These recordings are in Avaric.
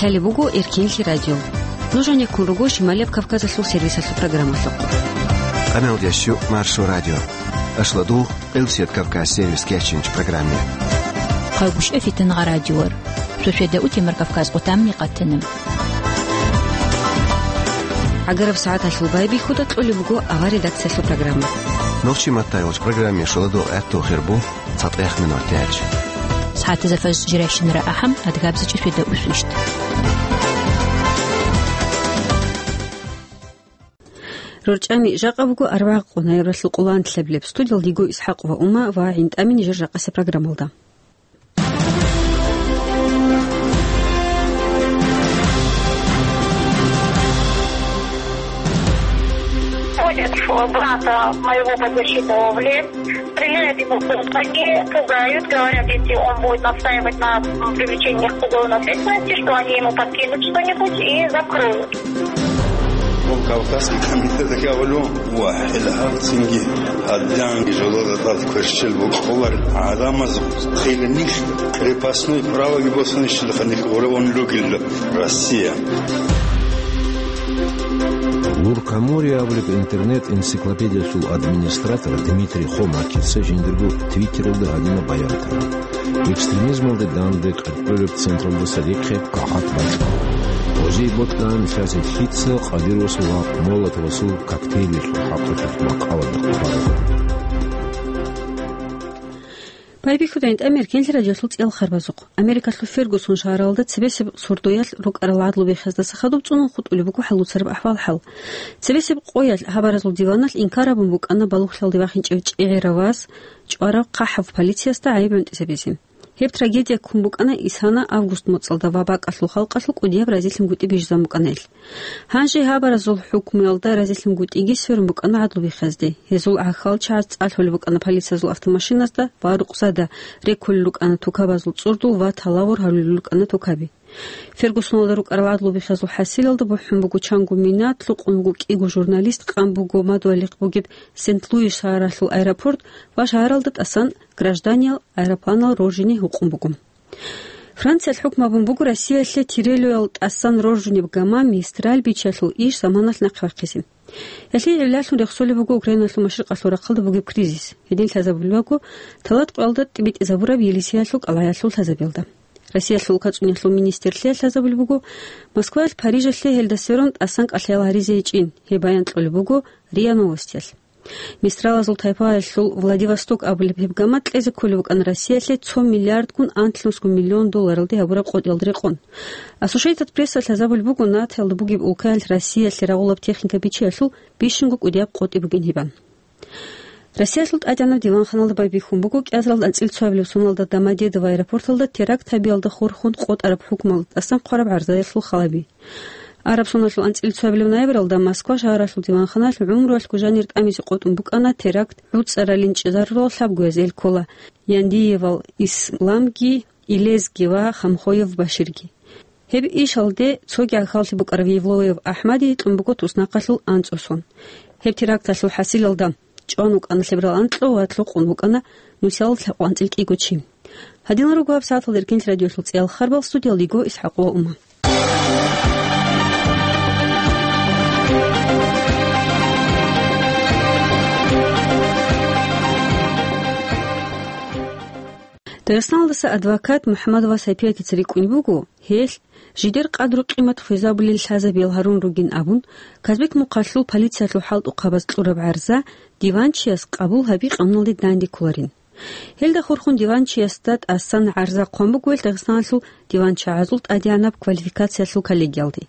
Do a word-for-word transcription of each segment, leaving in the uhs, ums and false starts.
Лъалеб буго Эркинлъи радио. Нуж гьанеккун руго Шималияб Кавказалъул сервисалъул программалъухъ. Къаналдящу Маршо радио. Ашладу Къилсият Кавказ сервис кечинч программе. Хъагушев Фитангъа радиор. Шошеда утемар Кавказ къутамни къатана. ГӀагараб сагӀаталъул байбихьуда кьолеб буго авар редакциялъул программа. Нохчи маттайолч программе шоладо гӀатту хирбу. ЦатӀехъ минутач. СагӀатазда фажр жирайщинара ахӀам, адгабзичӀи шведа усвищ. РорчӀами жакъа буго арбагъ къо ноябралъул къоло нилъабилеб. Студиялда йиго ИсхӀакъ ва Ума ва ГӀинтӀами нижер жакъасеб программалда. Ходят в брата моего подзащитного в лес, стреляют ему под ноги, пугают, говорят, если он будет настаивать на привлечении к уголовной ответственности, что они ему подкинут что-нибудь и закроют. Кавказский комитет кавлу ва хӀилгьабцинги гьадинги жолода тӀад кверщел букӀулар гӀадамаз хилинихь крепостной правоги босанищилха нилъ гъуравун ругел Россия. Луркамория абулеб интернет-энциклопедиялъул администратор Дмитрий Хомакица жиндирго твиттералда гьадинаб баян тараб: «Экстремизмалде данде кьеркьолеб централдаса рехъе кагъат бачӀа. Гъозие бокьан лъазе лъица Къадировасул ва Молотовасул коктейлалъул хӀакъалъулъ макъала бихъуларо». Байбихьуда ГӀинтӀами Эркинлъи радиолъул цӀел харбазухъ. Америкалъул Фергусон шагьаралда цебесеб сордоялъ рукӀарал гӀадлу бихъаздаса хадуб цӀунун хутӀулеб буго хӀалуцараб ахӀвал-хӀал. Цебесеб къоялъ гьабаразул диваналъ инкар гьабун букӀана балугълъалде вахинчӀев чӀегӀерав вас чӀварав хъахӀав полициясда гӀайиб гӀунтӀизабизе. Гьеб трагедия ккун букӀана исана август моцӀалда ва бакӀалъул халкъалъул кӀудияб разилъунгутӀи бижизабун букӀана гьел. Гьанже гьабаразул хӀукмуялда разилъунгутӀиги сверун букӀана гӀадлу бихъазде. Гьезул гӀахьалчагӀаз цӀалъулеб букӀана полициязул автомашиназда ва рукъзада реккулел рукӀана тукабазул цӀурдул ва талавур гьарулел рукӀана тукаби. Фергусоналда рукӀарал гӀадлу бихъазул хӀасилалда бухӀун буго чанго мина, лъукъун буго кӀиго журналист, къан буго мадугьалихъ бугеб Сент-Луис шагьаралъул аэропорт ва шагьаралда тӀасан гражданиял аэропланал роржине гьукъун буго. Франциялъ хӀукму гьабун буго Россиялъе Тирелоял тӀасан роржунеб гама Мистраль бичиялъул иш заманалъ нахъе вахъизе. Гьелъие гӀиллалъун рехсолеб буго Украиналъул машрикъалъул рахъалда бугеб кризис. Гьедин лъазабулеб буго талат къоялда тӀибитӀизабураб Елисеялъул кӀалгӀаялъул лъазабиялда. Россиялъул улкацӀуниялъул министрлъиялъ лъазабулеб буго Москваялъ Парижалъе гьелда сверун тӀасан кӀалъаял гьаризе гьечӀин. Гьеб баян кьолеб буго РИА Новостиялъ. Мистралазул тайпаялъул Владивосток абулеб гьеб гама кьезе кколеб букӀана Россиялъе цо миллиардгун анлънусго миллион долларалде гьабураб къотӀиялда рекъон. Ассошейтед Пресса лъазабулеб буго НАТОялда бугеб улкаялъ Россиялъе рагъулаб техника бичиялъул бищунго кӀудияб къотӀи бугин гьебан. Россиялъул ТӀадегӀанаб диванханалда байбихьун буго кӀиазаралда анцӀила цоабилеб соналда Домодедово аэропорталда теракт гьабиялда хурхун къотӀараб хӀукмалда тӀасан хъвараб гӀарзаялъул халаби. Араб соналъул анцӀила цоабилеб ноябралда Москва шагьаралъул диванханалъ гӀумруялъго жанир тӀамизе къотӀун букӀана теракт гӀуцӀаралин чӀезарурал лъабгояз эл ккола Яндиевал Исламги, Илезги ва Хамхоев Баширги. Гьеб ишалде цоги гӀахьаллъи букӀарав Евлоев АхӀмади гьикьун буго туснахъалъул анцӀго сон. Гьеб теракталъул хӀасилалда чӀван вукӀана лъеберал анкьа ва лъукъун вукӀана нусиялда лъабкъоялда анцӀила кӀиго чи. Гьадинал руго гьаб сагӀаталда Эркинлъи радиолъул цӀиял харбал, студиялда йиго ИсхӀакъ ва Ума. Дагъистаналдаса адвокат МухӀаммадова Сапиятица рикӀкӀунеб буго, гьелъ жидер къадру-къимат хвезабулел лъазабиял гьарун ругин абун, Казбек-Мухъалъул полициялъул хӀалтӀухъабаз кьураб гӀарза диванчияс къабул гьаби къануналде дандеккуларин. Гьелда хурхун диванчиясда тӀасан гӀарза хъван буго гьел Дагъистаналъул диванчагӀазул тӀадегӀанаб квалификациялъул коллегиялде.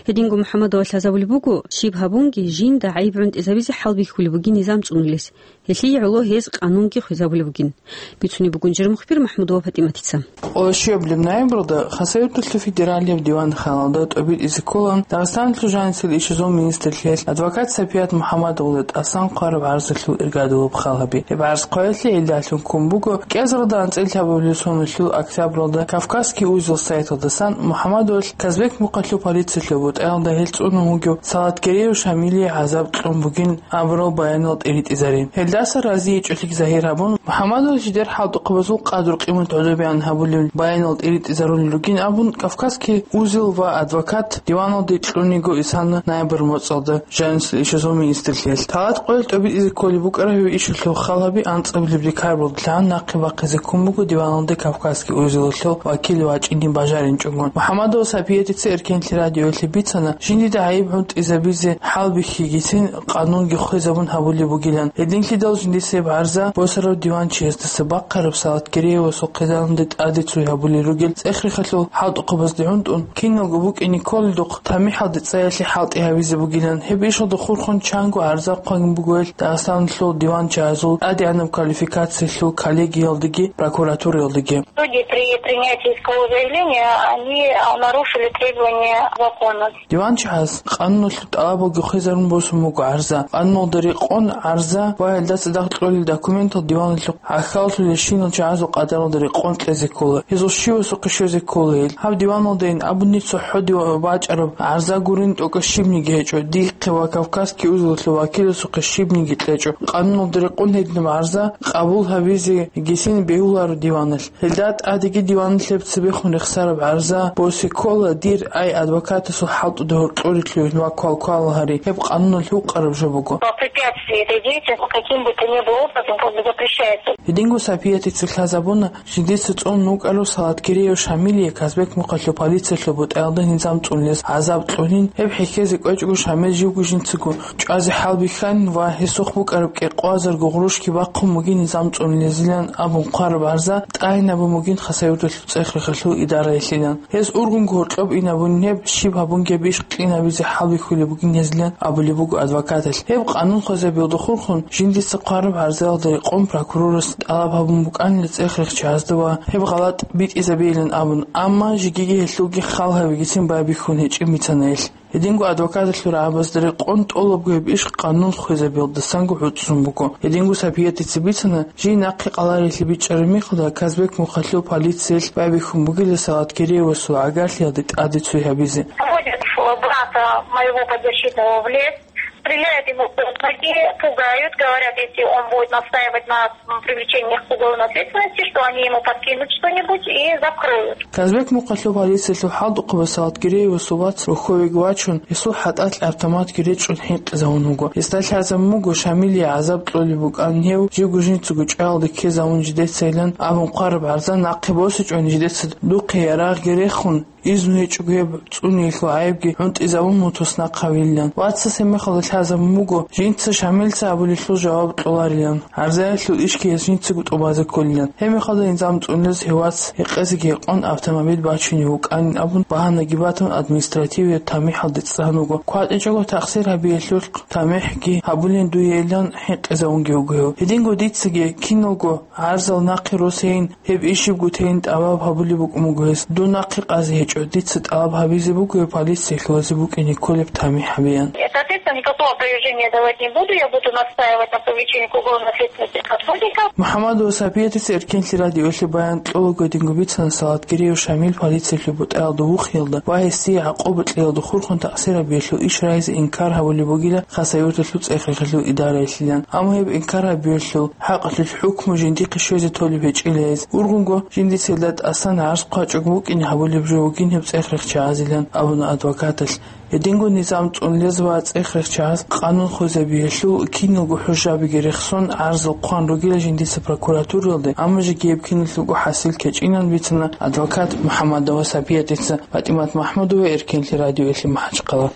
Гьединго МухӀаммадова лъазабулеб буго, щиб гьабунги жинда гӀайиб гӀунтӀизабизе хӀалбихьулеб бугин низам цӀунулес. Гьелъие гӀоло гьез къанунги хвезабулеб бугин, бицунеб бугун жер мухбир МахӀмудова ПатӀиматица. Къоло щуабилеб ноябралда Хасавюрталъул федералияб диванханалда тӀобитӀизе ккола Дагъистаналъул жанисел ишазул министрлъиялъ адвокат Сапият МухӀаммадовалда тӀасан хъвараб гӀарзалъул иргадулаб хал гьаби. Гьеб гӀарз хъваялъе гӀиллалъун ккун буго, кӀиазаралда анцӀила лъабабилеб соналъул октябралда Кавказский узел сайталдасан МухӀаммадовалъ Казбек-Мухъалъул полиция БутӀаялда гьел цӀунун вугев Салат Гереев Шамилие гӀазаб кьун бугин абурал баянал тӀиритӀизарин. Гьелдаса разиечӀолъи загьир гьабун, МухӀаммадовас жидер хӀалтӀухъабазул къадру-къимат гӀодобегӀан гьабулеб баянал тӀиритӀизарулел ругин абун, Кавказский узел ва адвокат диваналде кьуниго исана ноябрь моцӀалда жанисел ишазул министрлъиялъ. Талат къоялъ тӀобитӀизе кколеб букӀараб гьеб ишалъул халаби анцӀабилеб декабрьалдалъун нахъе бахъизе ккун буго диваналде Кавказский узелалъул вакил вачӀине бажаринчӀогун. МухӀаммадова Сапиятица Эркенлъи радиоялъе бицана, жиндида гӀайиб гӀунтӀизабизе хӀалбихьигицин къанунги хвезабун гьабулеб бугилан. Гьединлъидал жиндица гьеб гӀарза босарав диванчиясдаса бахъараб Салат Гереевасул хъизаналде тӀаде цой гьабулел ругел цӀех-рехалъул хӀалтӀухъабазде гӀунтӀун, киналго букӀине кколелдухъ тамихӀалде цӀаялъе хӀалтӀи гьабизе бугилан. Гьеб ишалда хурхун чанго гӀарза хъван бугоян Дагъистаналъул диванчагӀазул тӀадегӀанаб квалификациялъул коллегиялдеги прокуратураялдеги. Судьи при принятии искового заявления, они, а, нарушили требования закона. ДиванчагӀаз къануналъул тӀалабалги хвезарун босун буго гӀарза. Къануналда рекъон гӀарза ва гьелда цадахъ кьолел документал диваналъухъ гӀахьаллъулелщинал чагӀазул къадаралда рекъон кьезе ккола. Гьезул щивасухъе щвезе ккола гьел. Гьаб диваналдайин абуни цохӀо див-, бачӀараб гӀарза гурин тӀокӀаб щибниги гьечӀо, дихъе ва Кавказский узелалъул вакиласухъе щибниги кьечӀо. Къануналда рекъон гьединаб гӀарза къабул гьабизегицин бегьуларо диваналъ. Гьелда тӀадеги диваналъ гьеб цебехун рехсараб гӀарза босе ккола, дир ай адвокатасул хӀалтӀуда гьоркьоре лъугьин ва квалквал гьари, гьеб къануналъ гьукъараб жо буго. По препятствии этой деятельности каким бы то ни было образом как бы запрещается. Гьединго Сапиятица лъазабуна, жиндица цӀун вукӀарав Салат Гереев Шамилие Казбек мухъалъул полициялъул бутӀаялда низам цӀунулес гӀазаб кьунин. Гьеб хӀехьезе кӀвечӀого Шамил живго жинцаго чӀвазе хӀалбихьанин ва гьесухъ букӀараб кӀикъоязарго гъурущги бахъун бугин низам цӀунулезилан абун хъвараб гӀарза тӀагӀинабун бугин Хасавюрталъул цӀех-рехалъул идараялъилан. Гьес ургъунго гьоркьоб инабунин гьеб, щиб гьабунги гьеб иш кьинабизе хӀалбихьулеб бугин гьезилан абулеб буго адвокаталъ. Гьеб къанун хвезабиялда хурхун, жиндица хъвараб гӀарзаялда рекъон прокурорас тӀалаб гьабун букӀанила цӀех-рехчагьазда ва гьеб гъалатӀ битӀизабейилан абун, амма жегиги гьелъулги хал гьабигицин байбихьун гьечӀин бицана гьелъ. Гьединго адвокаталъул рагӀабазда рекъон тӀолабго гьеб иш къанун хвезабиялдасанго гӀуцӀцӀун буго. Гьединго Сапиятица бицана, жий нахъе къаларилъи бичӀчӀараб мехалда Казбек мухъалъул полициялъ байбихьун бугила Салат Гереевасул гӀагарлъиялде тӀаде цой гьабизе. Заводят брата моего подзащитного в лес, стреляют ему под ноги, пугают, говорят, если он будет настаивать на привлечении к уголовной ответственности, что они ему подкинут что-нибудь и закроют. Казбек мухъалъул полициялъул хӀалтӀухъабаз Салат Гереевасул вац рохьовеги вачун, гьесул хӀатӀалъ автоматги речӀчӀун хӀинкъизавун вуго. Гьесда лъазабун буго Шамилие гӀазаб кьолеб букӀанин гьев, живго жинцаго чӀваялде ккезавун жидецайилан абун хъвараб гӀарза нахъе босичӀони жидеца духъе ярагъги рехун, изну гьечӀого гьеб цӀуниялъул гӀайибги гӀунтӀизабун мутас нахъ гьавилилан. Вацас гьеб мехалда лъазабун буго, жинца Шамилица абулелъул жаваб кьоларилан. ГӀарзаялъул ишги гьес жинцаго тӀубазе кколилан. Гьеб мехалда низам цӀунулез гьев вац гьекъезеги гьекъон автомобиль бачунев вукӀанин абун багьанаги батун административияб тамихӀалде цӀцӀан вуго. КватӀичӀого тахсир гьабиялъулъ тамихӀги гьабулин дуейилан хӀинкъизавунги вуго гьев. Гьединго дицаги киналго гӀарзал нахъе росейин, гьеб ишибго тейин тӀалаб гьабулеб букӀун буго гьес. Дун нахъе къазе гьечӀо, дица тӀалаб гьабизе буго гьев полициялъ вазе букӀине кколеб тамихӀ гьабеян. Соответственно, никакого опровержения давать не буду, я буду настаивать на привлечении к уголовной ответственности сотрудников. МухӀаммадова Сапиятица Эркенлъи радиоялъе баян кьолаго гьединго бицана Салат Гереев Шамил полициялъул бутӀаялда вухиялда ва гьесие гӀакъуба кьеялда хурхун тахсир гьабиялъул иш рагьизе инкар гьабулеб бугила Хасавюрталъул цӀех-рехалъул идараялъилан. Амма гьеб инкар гьабиялъул хӀакъалъулъ хӀукму жиндихъе щвезе толеб гьечӀила гьез. Ургъунго жиндица гьелда тӀасан гӀарз хъвачӀого букӀине гьабулеб жо бугин гьеб цӀех-рехчагӀазилан абуна адвокаталъ. Гьединго низам цӀунулез ва цӀех-рехчагӀаз къанун хвезабиялъул киналго хӀужабиги рехсон гӀарзал хъван ругила жиндица прокуратураялде, амма жеги гьеб киналъулго хӀасил кьечӀинан бицана адвокат МухӀаммадова Сапиятица. ПатӀимат МахӀмудова, Эркенлъи радиоялъе, МахӀачхъала.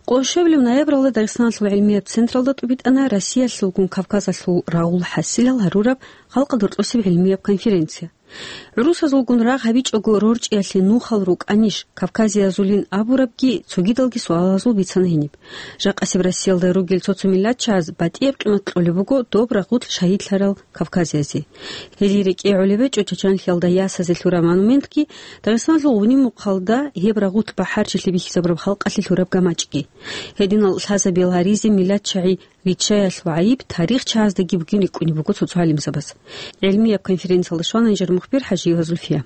Къо-, щвабилеб ноябралда Дагъистаналъул гӀилмияб централда тӀубитӀана Россиялъулгун Кавказалъул рагъул хӀасилал гьарураб халкъалда рокьосеб гӀилмияб конференция. ГӀурусазулгун рагъ гьабичӀого рорчӀиялъе нухал рукӀанищ, кавказиязулин абурабги цогидалги суалазул бицана гьениб. Жакъасеб Россиялда ругел цо-цо миллатчагӀаз батӀияб къимат кьолеб буго доб рагъулъ шагьидлъарал кавказиязе. Гьезие рекӀее гӀолеб гьечӀо Чачанлъиялда ясазе лъураб монументги, Дагъистаналъул гъуниб мухъалда гьеб рагъулъ бахӀарчилъи бихьизабураб халкъалъе лъураб гамачӀги. Гьединал лъазабиял гьаризе миллатчагӀи риччаялъул гӀайиб тарихчагӀаздаги бугин рикӀкӀунеб буго цо-цо гӀалимзабаз. ГӀилмияб конференциялда щвана нижер мухбир ХӀажиева Зульфия.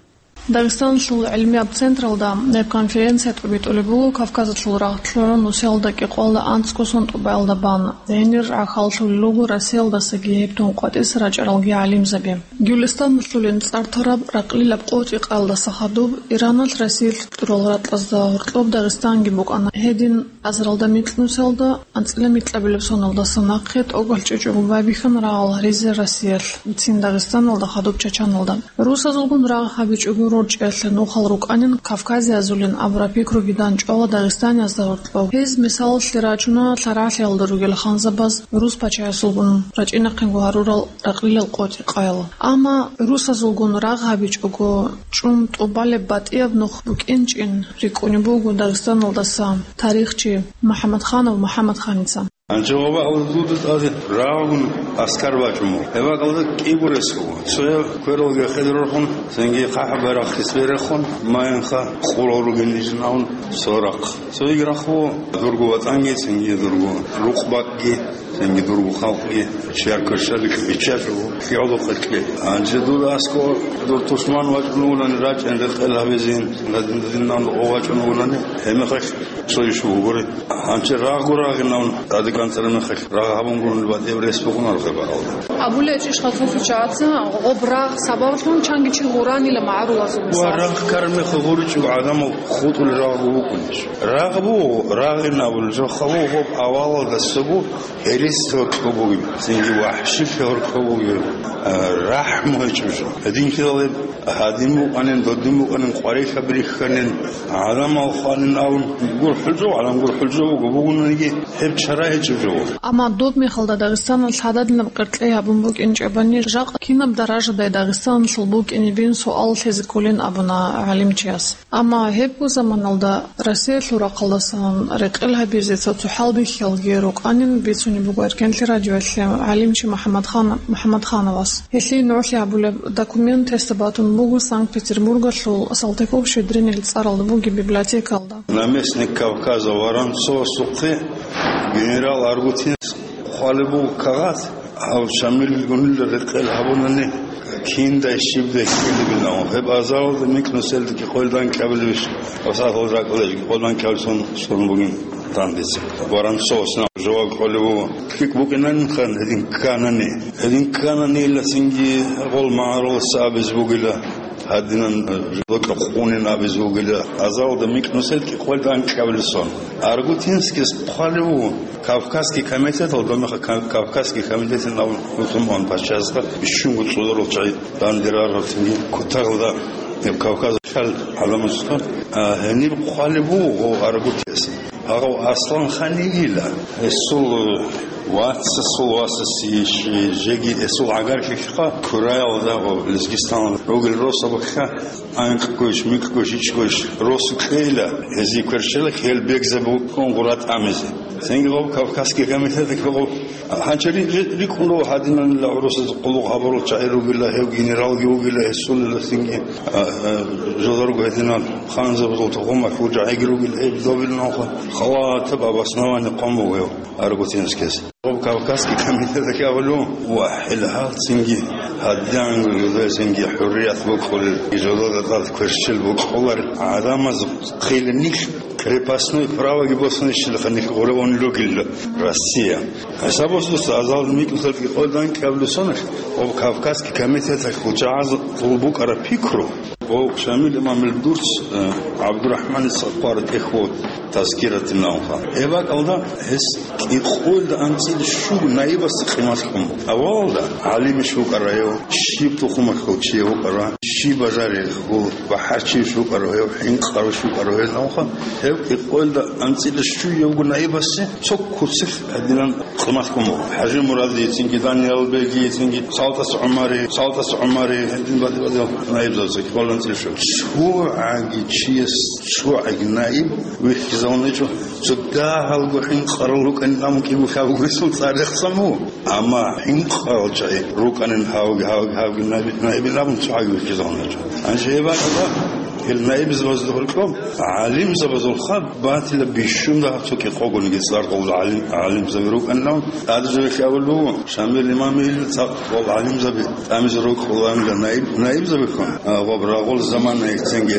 Дагъистаналъул гӀилмияб централда гьеб конференция тӀибитӀулеб буго Кавказалъул рагъ лъугӀун нусиялда кӀикъоялда анцӀго сон тӀубаялда бан. Гьенир гӀахьаллъулел руго Россиялдасаги гьеб тун къватӀиса рачӀаралги гӀалимзаби. Гюлистаналъулин цӀар тараб ракълилаб къотӀи-къаялдаса хадуб, Ираналъ Россиялъ кьурал ракьазда гьоркьоб Дагъистанги букӀана. Гьедин азаралда микьнусиялда анцӀила микьабилеб соналдаса нахъе тӀокӀал чӀечӀого байбихьана рагъал гьаризе Россиялъ, цин Дагъистаналда хадуб Чачаналда. Русазулгун рагъ гьабичӀого рорчӀиялъе нухал рукӀанин кавказиязулин абураб пикруги данчӀвала дагъистаниязда гьоркьоб. Гьез мисалалъе рачуна лъарагӀлъиялда ругел ханзабаз рус пачаясулгун рачӀинахъего гьарурал ракълилал къотӀи-къаял. Амма русазулгун рагъ гьабичӀого чӀун тӀубалеб батӀияб нух букӀинчӀин рикӀкӀунеб буго Дагъистаналдаса тарихчи МухӀаммадханов МухӀаммадханица. Гьанже ваба гьалда дуда тӀаде рагъун аскар бачӀун буго. Гьеб бакӀалда кӀиго рес буго. Цояв квералги хӀедорхун, цинги хъахӀаб-барахъ хисберехун, майинха къурал ругин ижинавун цо рахъ. Цоги рахъ буго дурго ватӀанги, цинги дурго рукъ-бакӀги, цинги дурго халкъги, чияр кверщаликь биччачӀого, кигӀоло къелъе. Гьанже дуда аскӀо дур тушман вачӀун вугилан рачӀин рекъел гьабизин, гадин-гадинан вачӀун вугилан, гьеб мехалъ цо иш бугури. Гьанже рагъго рагъинавун, тӀаде кӀанцӀараб мехалъ, рагъ гьабун гурони батӀияб рес букӀунаро гьеб гьалда. Абулеб чи хасусу чагӀаца, гъоб рагъ сабаблъун чанги чи гъуранила магӀарулазул ва мисал. Рагъ ккараб мехалъ гъуричӀого гӀадамал хутӀулел рагъго букӀунищ? Рагъ буго, рагъинабулел жо хабу гъоб авалалдаса буго, гьересиялъ гьоркьоб бугеб, цинги вахӀшилъи гьоркьоб бугеб, а, рахӀму гьечӀеб жо. Гьединлъидал гьеб гьадин букӀанин, додин букӀанин, къварилъаб рихьанин, гӀадамал хванин абун, гурхӀулзав, гӀадам гурхӀулзав буго, бугониги гьеб чара гьечӀеб жо. Амма доб мехалда Дагъистаналъ гьададинаб къеркьей гьабун букӀинчӀебани, жакъа кинаб даражадай Дагъистаналъул букӀинебин суал лъезе кколин абуна гӀалимчияс. Амма гьебго заманалда Россиялъул рахъалдасан рекъел гьабизе цо-цо хӀалбихьиялги рукӀанин бицунеб буго Эркенлъи радиоялъе гӀалимчи МухӀаммадхан-, МухӀаммадхановас. Гьелъие нугӀлъи гьабулеб документ гьесда батун буго Санкт-Петербургалъул Салтыков-Щедринил цӀаралда бугеб библиотекалда. Наместник Кавказа Воронцовасухъе генерал Аргутинс хъвалеб буго кагъат. Гьав Шамилгунила рекъел гьабунани, киндай щибдай ккелебилан, гьеб азаралда микьнусиялда кӀикъоялда анкьабилебищ, ва сахал ракӀалда кӀикъоялда анкьабилеб сон, сон бугин дандеца. Воронцовас жаваб кьолеб буго: лъикӀ букӀинанин хан гьедин кканани. Гьедин кканани, ила цинги гъол магӀарулас абизе бугила. Гьадинан, э, жодокьа хъунин абизе вугила, азалда микьнусел кӀикъоялда анкьабилеб сон. Аргутинскис хъвалев вуго, Кавказский комитеталда, меха-, Кав-, Кавказский комитетин абун хутуман пачазда бищунго цӀударал чагӀи дандирарал цинги кутакалда, э, Кавказ хал гӀаламаталда, а, гьениб хъвалев вуго Аргутинс. Гьав Аслан-хан йигила, гьесул вацасул васасе жеги гьесул гӀагарлъи ккола Кураялда ва Лезгистан ругел росабахъа анкьгойищ, микьгойищ, ичӀгойищ росу кьейила, гьезие кверщела, гьел бегзабукӀун гъура тӀамизе. Цинги гъоб Кавказский комитеталъ гъоб гьанчари ри-, рикӀкӀун руго гьадинанила гӀурусаз къуллукъ гьабурал чагӀи ругила, гьев генералги вугила, гьесулила цинги, а, а, жоларго гьединал ханзабазул тухумалъул жагӀиги ругел гьеб добил нуха халатаб обоснование къон буго гьев Аргутинскис. Гъоб Кавказский комитеталъ абулев, ва хӀел гьалцинги гьадинго жодайсинги хӀуррият букӀулел, жодада тӀад кверщел букӀуларел гӀадамаз хъилинихъ крепостной правоги босунищилха нилъ гъуреван ругел Россия. ХӀисаб босуса азал микьнусел кӀикъоялда анкьабилеб соналъ, гъоб Кавказский комитеталъул чагӀазул букӀараб пикру, гъов Шамил имамил дурц, э, ГӀабдурахӀманица хъвараб тӀехь вуго Тазкиратин науха. Гьеб бакӀалда гьес кӀикъоялда анцӀила щуго наибасда къимат кьун буго. Авалалда гӀалимищ вукӀарав гьев, щиб тухумалъул чи вукӀарав, щиб бажарилъул бахӀарчиящ вукӀарав гьев, хӀинкъарав щукӀарав гьев науха. Гьев кӀикъоялда анцӀила щуявго наибасде цо куцалъ гьадинан къимат кьун буго. ХӀажимурадицинги, Даниялбегицинги, Салтас ГӀумари, Салтас ГӀумари, гьедин баде-бадел наибзабаца кӀикъоялда анцӀила щуго. ЦогӀаги чияс цогӀаги наиб вихьизавун гьечӀо. Цо дагьалго хӀинкъарал рукӀанин абун кӀиго лъабго ресул цӀар рехсабу. Амма хӀинкъарал чагӀи рукӀанин гьавги, гьавги, гьавги наиб-, наибин абун цогӀаги вихьизавун гьечӀо. Гьанже гьеб бакӀалда Ил наибзабазда гьоркьоб гӀалимзабазул хаб батила бищунда гьаб цо кӀикъогониги цӀар къавул гӀалим-, гӀалимзаби рукӀанилан. ТӀадежавехъ абулеб буго, Шамил имамил цӀакъ къавул гӀалимзаби тӀамизе рукӀуланила наиб-, наибзабихъун. А, ва рагъул замана эцинги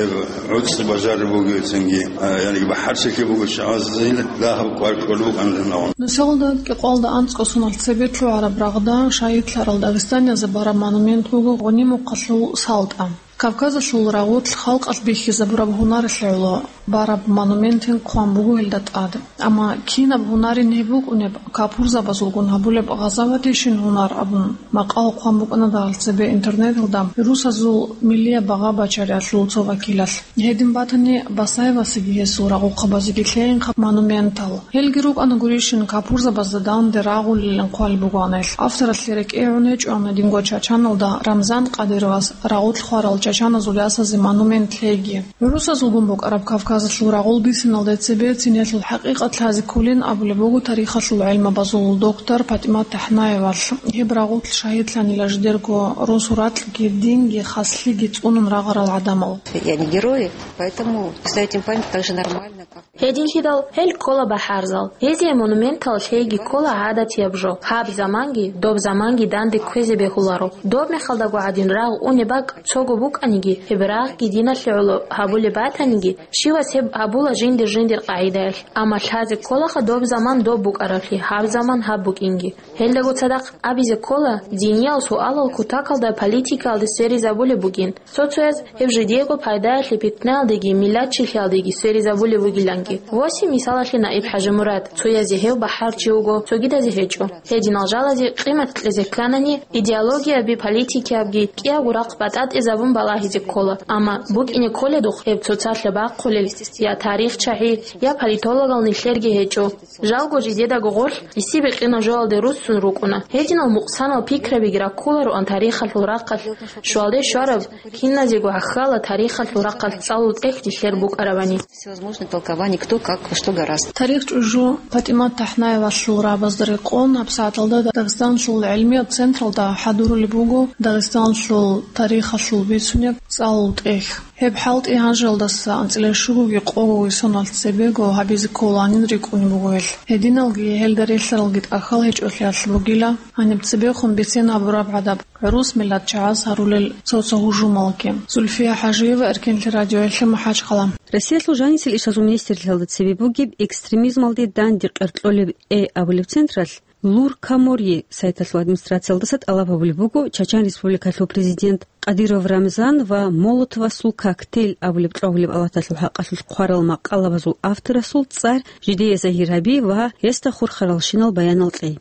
гӀуцӀи бажариб бугевцинги, а, яниги бахӀарчилъи буго чагӀазил дагьаб кӀвар кколеб букӀанилан. Нусалда кӀикъоялда анцӀго соналъ цебе лъугӀараб рагъда шагьидлъарал дагъистаниязда бараб монумент буго Гъунимухъалъул СалтӀа. Кавказалъул рагъулъ халкъалъ бихьизабураб гьунаралъе гӀоло бараб монументин хъван буго гьелда тӀад. Амма кинаб гьунарин гьеб букӀунеб, капурзабазулгун гьабулеб гъазаватищин гьунар абун, макъал хъван букӀана дагьал цебе интернеталда русазул миллияб багъа бачариялъул цо вакилалъ. Гьедин батани, Басаевасеги гьесул рагъухъабазеги лъеинха монументал. Гьелги рукӀана гурищин капурзабазда данде рагъулилан хъвалеб бугоан гьелъ. Авторалъе рекӀее гӀун гьечӀоан гьединго Чачаналда Рамзан Кадыровас рагъулъ хварал чачаназул ясазе монумент лъейги. ГӀурусазулгун букӀараб Кавказалъул рагъул бисиналде цебе цинелъул хӀакъикъат лъазе кколин абулеб буго тарихалъул гӀелмабазул доктор ПатӀимат ТахӀнаевалъ. Гьеб рагъулъ шагьидлъанила жидерго росу ракьги, динги, хаслъиги цӀунун рагъарал гӀадамал. Я не герои, поэтому ставить им память так же нормально, как Гьединлъидал гьел ккола бахӀарзал. Гьезие монументал лъейги ккола гӀадатияб жо. Гьаб заманги, доб заманги данде кквезе бегьуларо. Доб мехалдаго гӀадин рагъ унеб бакӀ цого букӀаниги, гьеб рагъги диналъе гӀоло гьабулеб батаниги, щивас гьеб гьабула жиндир-жиндир къагӀидаялъ. Амма лъазе кколаха доб заман доб букӀараблъи, гьаб заман гьаб букӀинги. Гьелдаго цадахъ абизе ккола, диниял суалал кутакалда политикаялде сверизабулеб бугин. Цо-цояз гьеб жидеего пайдаялъе питнаялдеги миллатчилъиялдеги сверизабулеб бугиланги. Восин мисалалъе Наиб ХӀажимурад, цоязе гьев бахӀарчи вуго, цогидазе гьечӀо. Гьединал жалазе къимат кьезе кканани, идеологиябги политикиябги кӀиябго рахъ батӀатӀезабун балагьизе ккола, амма букӀине кколедухъ гьеб цоцалъа бахъулел я тарихчагӀи, я политологал нилъерги гьечӀо. Жалго жидедаго гъорлъ гӀисибикъина жоялде руссун рукӀуна. Гьединал мукъсанал пикрабиги раккулароан тарихалъул рахъалъ, щвалде щвараб, киназего гӀахьала тарихалъул рахъалъ цӀалул тӀехь дилъер букӀарабани. Всевозможные толкования, кто как, во что гораст. Тарих чӀужу ПатӀимат ТахӀнаевалъул рагӀабазда рекъон гьабсагӀаталда Дагъистаналъул гӀилмияб централда хӀадурулеб буго Дагъистаналъул тарихалъул бицунеб цӀалул тӀехь. Гьеб хӀалтӀи гьанжеялдаса анцӀила щугоги къогоги соналъ цебего гьабизе кколанин рикӀкӀунеб буго гьелъ. Гьединалги гьелда релълъаралги тӀахьал гьечӀолъиялъ бугила, гьаниб цебехун бицен гьабураб гӀадаб гӀурус миллатчагӀаз гьарулел цо-цо гьужумалги. Зульфия ХӀажиева, Эркенлъи радиоялъе, МахӀачхъала. Россиялъул жанисел ишазул министрлъиялда цебе бугеб «Экстремизмалде данде къеркьолеб Э» абулеб централъ Луркаморье сайталъул администрациялдаса тӀалаб гьабулеб буго Чачан Республикалъул президент Кадыров Рамзан ва Молотовасул коктейль абулеб кьвагьулеб алаталъул хӀакъалъулъ хъварал макъалабазул авторасул цӀар жидее загьир гьаби ва гьесда хурхаралщинал баянал кьей.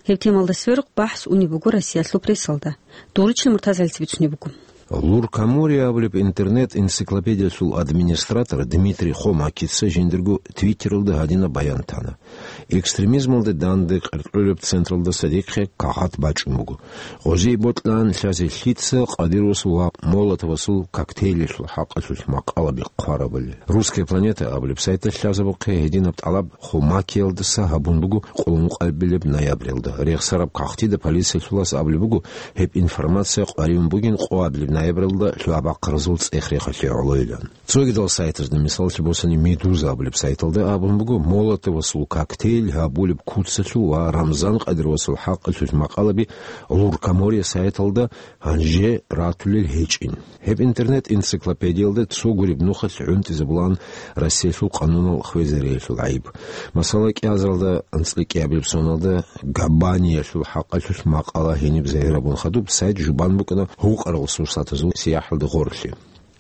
Гьеб темалда сверухъ бахӀс унеб буго Россиялъул прессалда. Дугъричилан МуртазагӀилица бицунеб буго. Луркаморье абулеб интернет-энциклопедиялъул администратор Дмитрий Хомакица жиндирго Твиттералда гьадинаб баян тана: «Экстремизмалде данде къеркьолеб централдаса дихъе кагъат бачӀун буго. Гъозие бокьан лъазе лъица Кадыровасул ва Молотовасул коктейльалъул хӀакъалъулъ макъалаби хъварабали». «Русская планета» абулеб сайталъ лъазабухъе гьединаб тӀалаб Хомакиялдаса гьабун буго къоло ункъабилеб ноябралда. Рехсараб кагътида полициялъулас абулеб буго, гьеб информация къваригӀун бугин къоабилеб ноябралда лъугӀа-бахъаразул цӀех-рехалъе гӀолойилан. Цогидал сайтазда, мисаллъи босани, «Медуза» абулеб сайталда абун буго, Молотовасул коктейль гьабулеб куцалъул ва Рамзан Кадыровасул хӀакъалъулъ макъалаби Луркаморье сайталда гьанже ратулел гьечӀин. Гьеб интернет-энциклопедиялда цо гуреб нухалъ гӀунтӀизабулаан Россиялъул къанунал хвезариялъул гӀайиб. Масала, кӀиазаралда анцӀила кӀиабилеб соналда Габаниялъул хӀакъалъулъ макъала гьениб загьирабун хадуб сайт жубан букӀана гьукъарал сурсатазул сияхӀалда гъорлъе.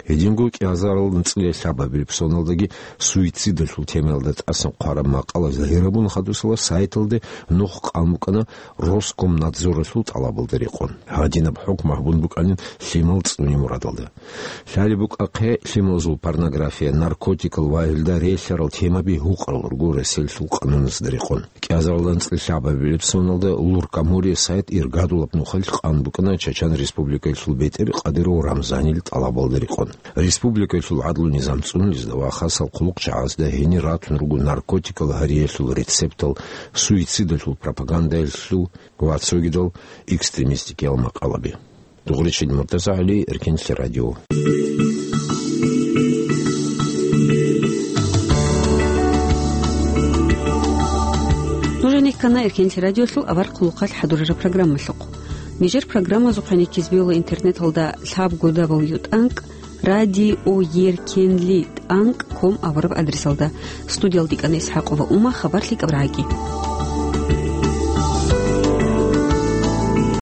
Гьединго кӀиазарал анцӀила лъабабилеб соналдаги суицидалъул темаялда тӀасан хъвараб макъала загьирабун хадусала сайталде нух къан букӀана Роскомнадзоралъул тӀалабалда рекъон. Гьадинаб хӀукму гьабун букӀанин лъимал цӀуне мурадалда. Лъалеб букӀахъе лъималазул порнография, наркотикал ва гьелда релълъарал темаби гьукъарал руго Россиялъул къануназда рекъон. КӀиазарал анцӀила лъабабилеб соналда Луркаморье сайт иргадулаб нухалъ къан букӀана Чачан Республикаялъул бетӀер Кадыров Рамзанил тӀалабалда рекъон. Республикаялъул гӀадлу-низам цӀунулезда ва хасал хъулухъчагӀазда гьенир ратун руго наркотикал гьариялъул рецептал, суицидалъул пропагандаялъул ва цогидал экстремистикиял макъалаби. Дугъричил МуртазагӀали, Эркенлъи радио. Кана Эркенлъи радиолъул авар хъулухъалъ хӀадурараб программалъухъ. Нижер программазухъе кизбиула интернеталда лъабго дабл ю тӀанкӀ радио еркенли тӀанкӀ ком абураб адресалда. Студиялда кӀана ИсхӀакъова Ума, хабар лъикӀаб рагӀаги.